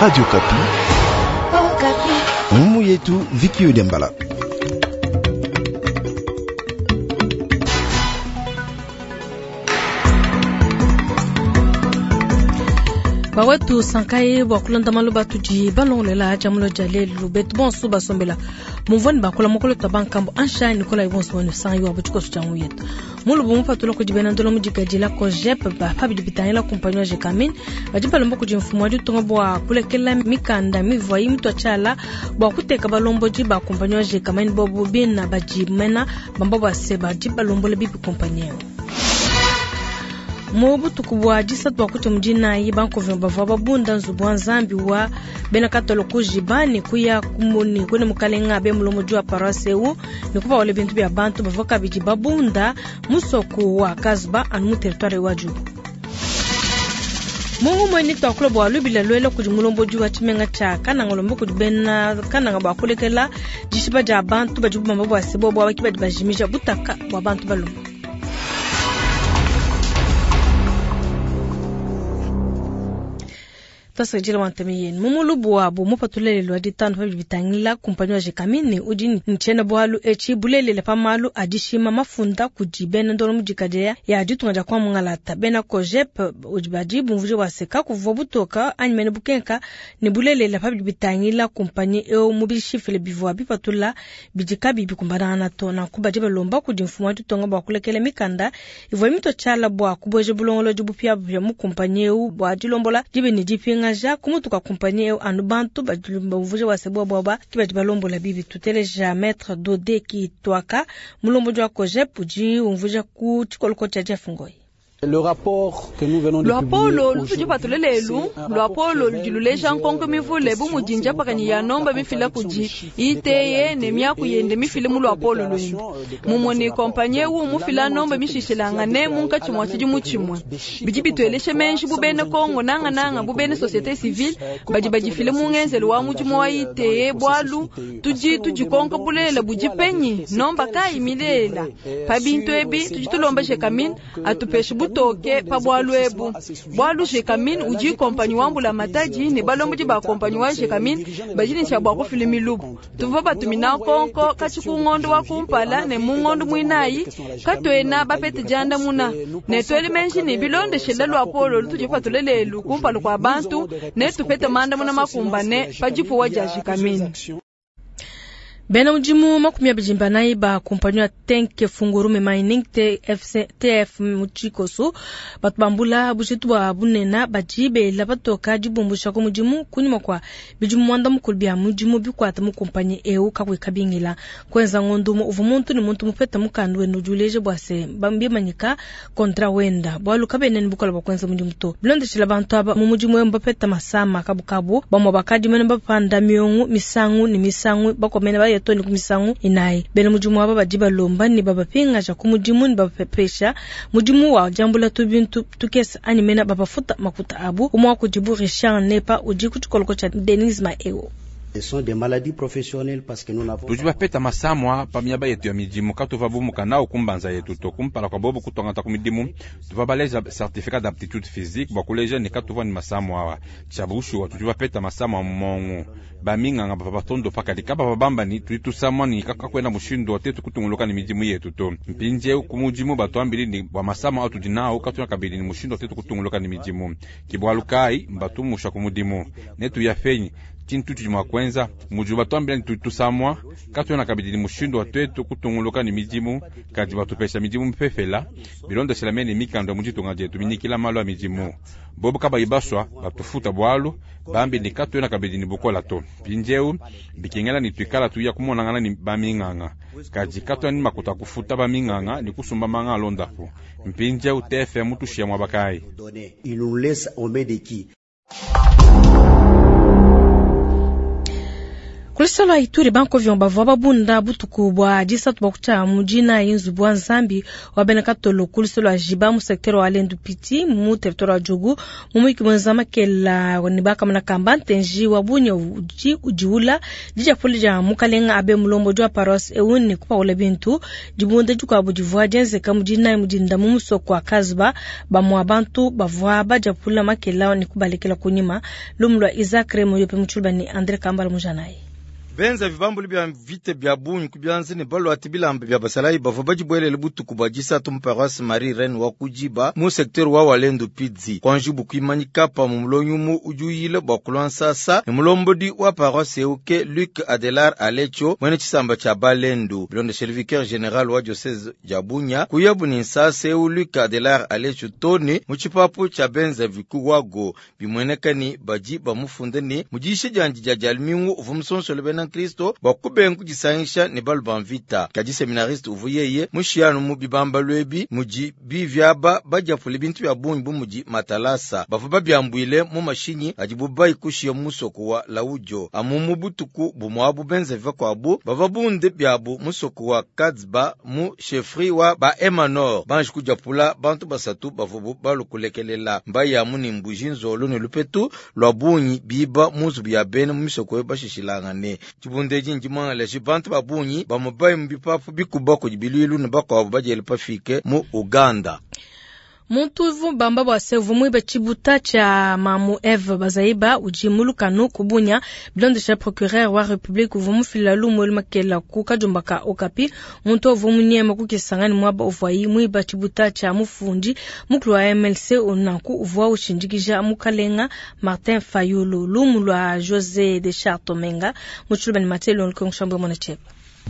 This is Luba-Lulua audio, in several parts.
Radio Kapi. Oh, Kapi. Mumu yetu Viki Udembala. Bawetu sankaye bua kulonda malu atudi balongolela jamulo dia lelu betu bonso basombela mumvua bakula mokolo twa bankambo ansha nikola bonso wenu sangi wa butshikoso tshia nguyetu mulubu mupatula kudi bena ndolo mudikadila kojep pabidi bitangila kumpanyi wa Gécamines badi balomba kudi mfumu wa ditunga bua kulekela mikanda mivua mutu tshiala bua kuteka balombodi ba kumpanyi wa Gécamines bobu bina badi mena bamba bua se badi balombola bibi kumpanyi eu. Mu butuku bua disatu bua kutya mudinayi bankovyo bavua babunda nzubu wa nzambi wa bena katolo kujiba ne kuya kumuni kune mukalenga abe mulombodi wa paroisse eu ne kupawula bintu bia bantu bavua kabidi babunda musoku wa Kasba anu mu territoire wa Djugu. Mungu mweni twakula bua lubila lwela kudi mulombodi wa tshimenga tshia Kananga lomba kudi bena Kananga bua kulekela dishipa dia bantu badi bamba bua se bobo abaki badi bajimija butaka bua bantu balume. Tasajila wa ntemi yenu mumulubu wabo mupatulele lwa ditanu pa bitangila kumpanyi wa Gécamines udi ne tshiena bualu etshi bulelela pa malu a dishima mafunda kudi bena ndolo mudikadile ya ditunga dia kwa mungalata bena kojep udi badi bumvuja bua se kakuvua butoka anyi mene bukenka ne bulelela pa bitangila kumpanyi eu mu bishifile bivua bipatula bidi kabi bikumbanangana to. Nanku badi balomba kudi mfumu wa ditunga bua kulekela mikanda ivua mito tshiala bua kubueja bulongolodi bupiabupia mu kumpanyi eu bua dilombola dibe ne dipinga ngaja kumutu kwa kumpanyi eu anu bantu badi bumvuja bua se bobo aba ki badi balombola bibi. Tuteleja maître Dode Kitwaka mulombodi wa kojep udi umvuja ku tshikoloko tshia Jeff Ngoyi. Le rapport que nous venons de Luapolo publier lutudi aujourd'hui, patule lelu, c'est un luapolo rapport ludi qui luleja révèle nkonko mivule bu mudi njapakani ya nomba mifila kudi iteye ne miaku yende mifile mu luapolo lwende. Mumue ne kompanyi eu mufila nomba mishishilangane munkatshi mua tshidimu tshimue. Bidi bitueleshe menji bu bena Kongo nanga nanga bu bena société civile badi badifile mu ngenzelu wa mudimu wa iteye bualu tudi tudikonka bulelela budi penyi nomba kayi milela. Pa bintu ebi tudi tulomba Gécamines atupeshe butoke pa bualu ebu. Bualu Gécamines udi kompanyi wa mbula matadi ne balombodi ba kompanyi wa Gécamines badi ne tshia bua kufila milubu. Tuvua batumina nkonko katshi ku ngondo wa kumpala ne mu ngondo muinayi katuena bapete diandamuna. Ne tuele menji ne bilondeshela luapolo lutudi patule lelu kumpala kua bantu ne tupete mandamuna makumbane pa dipuwa dia Gécamines. Bena mudimu makumi abidi mbanayi ba kumpanyi ya Tenke Fungurume Mining TFC, TF mu tshikoso batu bambula bujitu bua bunena badi bela batoka dibumbusha ku mudimu kunyima kua bidimu muanda mukulu bia mudimu bikuata mu kumpanyi eu kakuyi kabingila. Kuenza ngondo umue uvua muntu ne muntu mupeta mukanda wenda udi uleja bua se bimanyika kontra wenda bualu kabena ne bukole bua kuenza mudimu to. Bilondeshela bantu aba mu mudimu eu bapeta masama kabukabu bamue bakadi mene bapanda miongo misangu ne misangu bakomene ba toni ku misangu inayi. Bena mudimu aba badi balomba ne babapingaja ku mudimu ne babapesha mudimu wa diambula tubintu tukese anyi mena babafuta makuta abu. Umwe wa kudibu Richard Nepa udi ku tshikoloko tshia Denise Maeo. Ce sont des maladies professionnelles parce que nous n'avons Tudi bapeta masamwa pa miaba yetu ya midimu katuva bumuka nawo kumbanza yetu to kumpala kwa bobo kutwangata ku midimu tuva baleja certificat d'aptitude physique bua kuleja ne katuva ni masamwa awa tshia bushuwa tudi bapeta masamwa mongo baminganga bava batondo pakadi kaba babamba ni tudi tusamwa ni kakwenda mushindu wa tetu kutunguluka ni midimu yetu to mpindiewu ku mudimu batuambili ni bua masamwa atudi nawo katuna kabidi ni mushindu wa tetu kutunguluka ni midimu kibwalu kai mbatumusha ku mudimu netu ya fenyi tshintu tshidi mua kuenza mudi batuambila ni tudi tusamwa katuena kabidi ni mushindu wa twetu kutunguluka ni midimu kadi batupesha midimu mipepela bilondeshela mene mikanda mu ditunga dietu minyikila malu a midimu bobo kabayi baswa batufuta bualu bambi ni katuena kabidi ni bukola to mpindiewu bikengela ni tuikala tuya kumonangana ni baminganga kadi katuena ni makuta kufuta baminganga ni kusumba manga alondapu mpindiewu TFM tushia muaba kayi. Il nous laisse au main de qui? Ku luseke lua Ituri, bankovion bavua babunda butuku bua disatu bua kutshia mu dinayi nzubu wa Nzambi wa bena Katolo ku luseke lua Jiba mu secteur wa Lendu Piti mu territoire wa Djugu. Mu muyiki muenza makela ne bakamona kamba ntenji wa bunya udi udiula didiapula dia mukalenga abe mulombodi wa paroisse eu ne kupaula bintu. Dibunda dikuabu divua dienzeka mu dinayi mu dinda mu musoko wa Kazba, bamua bantu bavua badiapula makela ne kubalekela kunyima. Lumu lua Isaac Remo yope mu Tshiluba ne Andre Kambala Mujanayi. Benza vibambulu bia mvita bia bungi ku bianza ne baluate bilamba bia basalayi bavua badibuelele butuku bua disatu mu paroisse Marie Reine wa Kujiba mu secteur wa Walendu Pidzi. Kuanji bukuimanyika pamue mulongi umue udi uyila bua kulua nsasa ne mulombodi wa paroisse eu ke Luc Adelar Alecho muena tshisamba tshia Balendu. Bilondeshele vicaire general wa diocese dia Bunia kuyabu ne nsasa eu Luc Adelar Alecho tone mu tshipapu tshia benza vikuwago bimueneka ne badi bamufunde ne mudisha diandi dia dialumingu uvua musonsole bena Kristo bua kubenga kudisangisha ne balu ba mvita. Kadi seminariste uvua yeye mushianu mu bibambalu ebi mudi bivyaba badiapule bintu bia bungi bu mudi matalasa bavua babiambuile mu mashinyi adibu bayikushiya mu musoko wa Laudio amu mu butuku bumuabu benza vakuabu bavua bunde biabu musoko wa Kadzba mu chefferie wa ba Emanor banji kudiapula bantu basatu bavua balukulekelela mbayamu ne mbuji nzolo ne lupetu lwa bungi biba mu nzubu ya bena mu misoko bashishilangane. Tshibundeji ndimwangalaji bantu ba bungi bamubayi mu bipapu bikuba kudi bilwilu ne bakuabu badiele pafike mu Uganda. Muntu uvu bamba bua se uvu muibe tshibuta tshia mamu Eve Bazaiba udi mu lukanu ku Bunia. Bilondesha procureur wa Republique uvu mufila lumu elu makela ku kajumba ka Okapi. Muntu uvu munyema ku Kisangani muaba uvuayi muiba tshibuta tshia mufundi mukulu wa MLC unanku uvua ushindikija mukalenga Martin Fayulu. Lumu lua José de Chartomenga mu Tshiluba ne Mathieu Longo Nshambwe mwana cheba.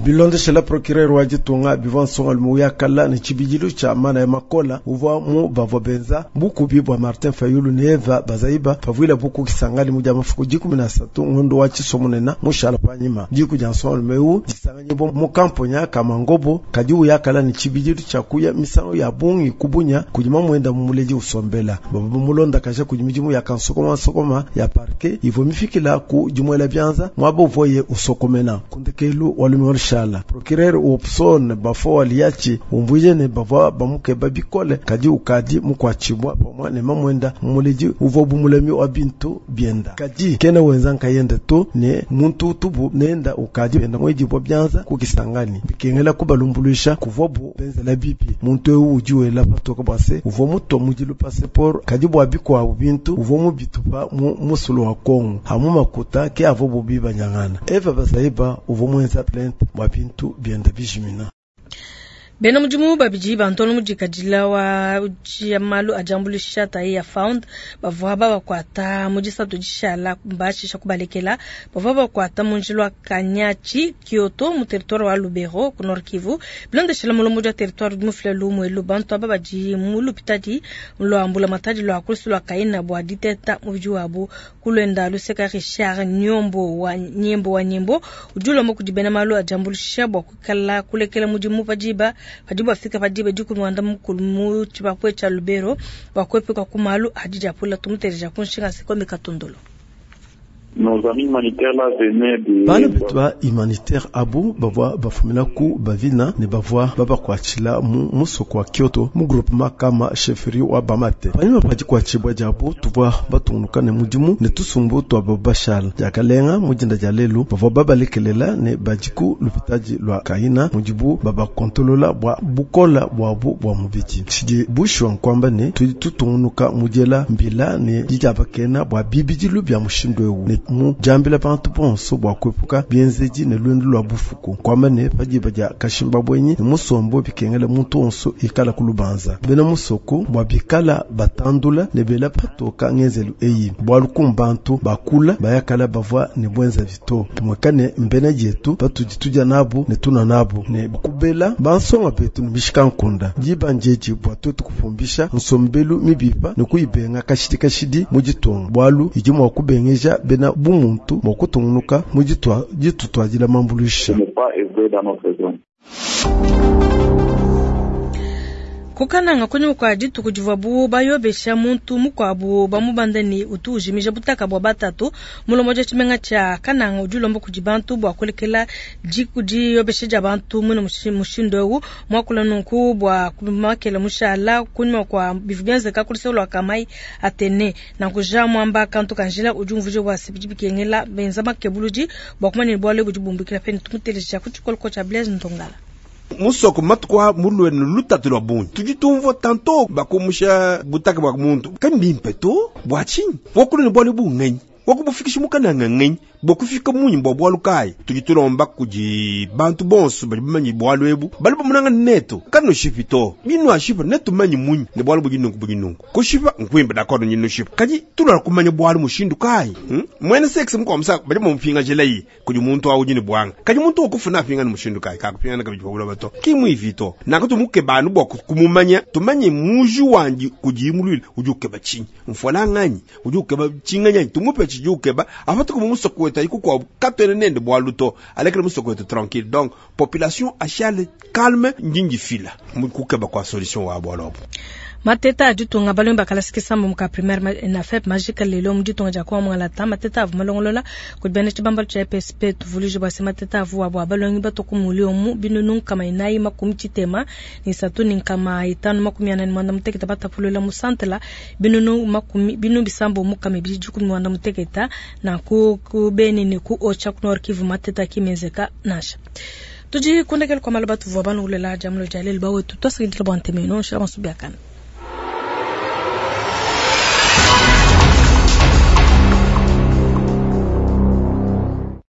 Bilondeshela procureur wa ditunga bivua nsongalume uyakala ne tshibidilu tshia mana ya makola uvua mu bavua benza bukubi bua Martin Fayulu ne Eva Bazaiba pavuila buku Kisangani mu dia mafuku 13 ngondo wa tshisomunena mushala panyima. Diku dia nsongalume eu disanganyibwa mu kamponya ka Mangobo kadi uyakala ne tshibidilu tshia kuya misangu ya bungi kubunya kudi mamwenda mu muledi usombela. Bavua mulonda kaja kudi midimu ya kansokoma nsokoma ya parquet ivua mifikila ku dimuela bianza mwaba uvuaye usokomena. Kundekelu walume shala procureur Opson bafo waliachi umvuje ne bavua bamukeba bikole kadi ukadi mukwachibwa pamwa ne mamwenda muledi uvua bumulemi wa bintu bienda kadi kena wenza nkayenda to ne muntu tubu nenda ukadi enda mwedibwa bianza kukisangani bikengela kubalumbuluisha kuvua bu benzela bipi muntu eu udi wela patoka bwase uvua muto mudilu passeport kadi bwa bikwabu bintu uvua mubitupa mu musulu wa Kongo hamu makuta ke avua bubi banyangana Eva Bazaiba uvua mwenza plainte bwa bintu bienda bijimina. Bena mudimu babidi bantono mudikadila wa malu ajambulisha tayi ya found bavua babakwata mu disatu dishala mbashisha kubalekela bavua bakwata mu njila wa Kanyachi Kyoto mu territoire wa Lubero ku Nord Kivu bilondeshela mulombo wa territoire mufila lumwelu bantu aba badi mu lupitadi lwa mbula matadi lwa kulusu lwa Kaina bwa diteta mubidi wabu kulwenda luseka Richard Nyombo wa Nyembo wa Nyembo ujulombo kudibena malu ajambulisha bwa kukala kulekela mudimu pajiba padibu afika padiba dikumwanda mukulu mu tshibapwe tshia Lubero bakwepe kwa kumalu adija pula tumutereja kunshinga sekombe katondolo. Nos amis humanitaires là venaient de bana betu humanitaire abu bavua bafumina ku bavina ne bavua babakwatshila mu musoko wa Kyoto mu groupement kama chefferie wa Bamate. Panyima pa dikwatshibua diabu tuvua batungunuka ne mudimu ne tusumbu tua babashala diakalenga mu dinda dia lelu bavua babalekelela ne badiku lupitadi lua Kaina mudibu babakontolola bua bukola bwabu bua mubidi. Tshidi bushwa nkwamba ne tudi tutungunuka mudiela mbila ne didiabakena bua bibidilu bia mushindu eu ne mu jambila bantu bonso bua kuepuka bienzedi ne lwendu lwa bufuku kwamba ne padiba dia kashimba bwenyi ne musombo bikengela muntu onso ikala kulubanza bena musoko bua bikala batandula ne bela patoka ngenzelu eyi bwalu kumbantu bakula bayakala bavua ne bwenza vito tumwekane mbena dietu patudi tudia nabu ne tuna nabu ne kubela bansonga betu ne bishika nkunda diba njeji bua tuetu kupumbisha nsombelu mibipa ne kuibenga kashidi kashidi mu ditunga bwalu idi mua kubengeja bena bumuntu mua kutungunuka mu ditutwadila mambulusha. Ku Kananga, kunyima kua dituku divuabu bayobesha muntu mukuabu bamubanda ne utu ujimija butaka bua batatu, mulombodi wa tshimenga tshia Kananga udi ulomba kudi bantu bua kulekela diyobesha dia bantu muine mushindu eu. Muakula nunku bua makela mushala kunyima kua bivua bienzeka ku luseke lua Kamayi Atene. Nanku Jean Mwamba kantu ka njila udi umvuija bua se bidi bikengela benza makebuludi bua kumanya ne bualu ebu budi bumbukila peni. Tumuteleja ku tshikoloko tshia Blaise Ndongala. Musoko matuku a mulue ne lutatu lua bungi, tudi tumvua tanto bakumusha butaka bua muntu kambimpe to. Bua tshinyi wakulu ne bualu ebu ngenyi wakubufikisha mukananga ngenyi bua kufika munyi bua bualu kayi? Tudi tulomba kudi bantu bonso badi bamanye bualu ebu, bali bamunanga netu kanushipi to. Binuashipa netumanye munyi ne bualu budi nunku budi nunku? Kushipa nkuimpe d'accord nushipa, kadi tulua kumanya bualu mushindu kayi? Mwene sexe mukuabu musa badi bamupingajila yi kudi muntu awu udi ne buanga, kadi muntu wakufuna apingana mushindu kayi? Kakupingana kabidi pa buloba to, ki muivi to. Nanku tumukeba anu bua kumumanya, tumanye muji wandi kudi muluile udi ukeba tshinyi, mfuala nganyi udi ukeba tshinganyi, tumupe tshidi ukeba apatuka mu musoko wetu ayi kukuabu katuena nende bualu to, alekele musoko wetu tranquille. Donc population ashale calme, ndi ndifila mu kukeba kwa solution wa bualu abu. Mateta a ditunga balongi ba kalasa kisamba mu ka primaire na FEP majika lelo mu ditunga dia Kongo Mungalata. Mateta avua malongolola kudi bena tshibambalu tshia EPSP. Tuvuluije bua se mateta avua bua balongi batua ku mulio mu binunu 443 544 batapulula mu santela binunu makumi binu bisambo mukama ibidi dikumi muanda muteketa na ku ku Beni ne ku Ocha ku Nord Kivu. Mateta kimenzeka nansha. Tudi kundekela kwa malu batuvua banulela dia mulo dia lelu bawetu twasakidila bua ntemeno nshila masubiakana.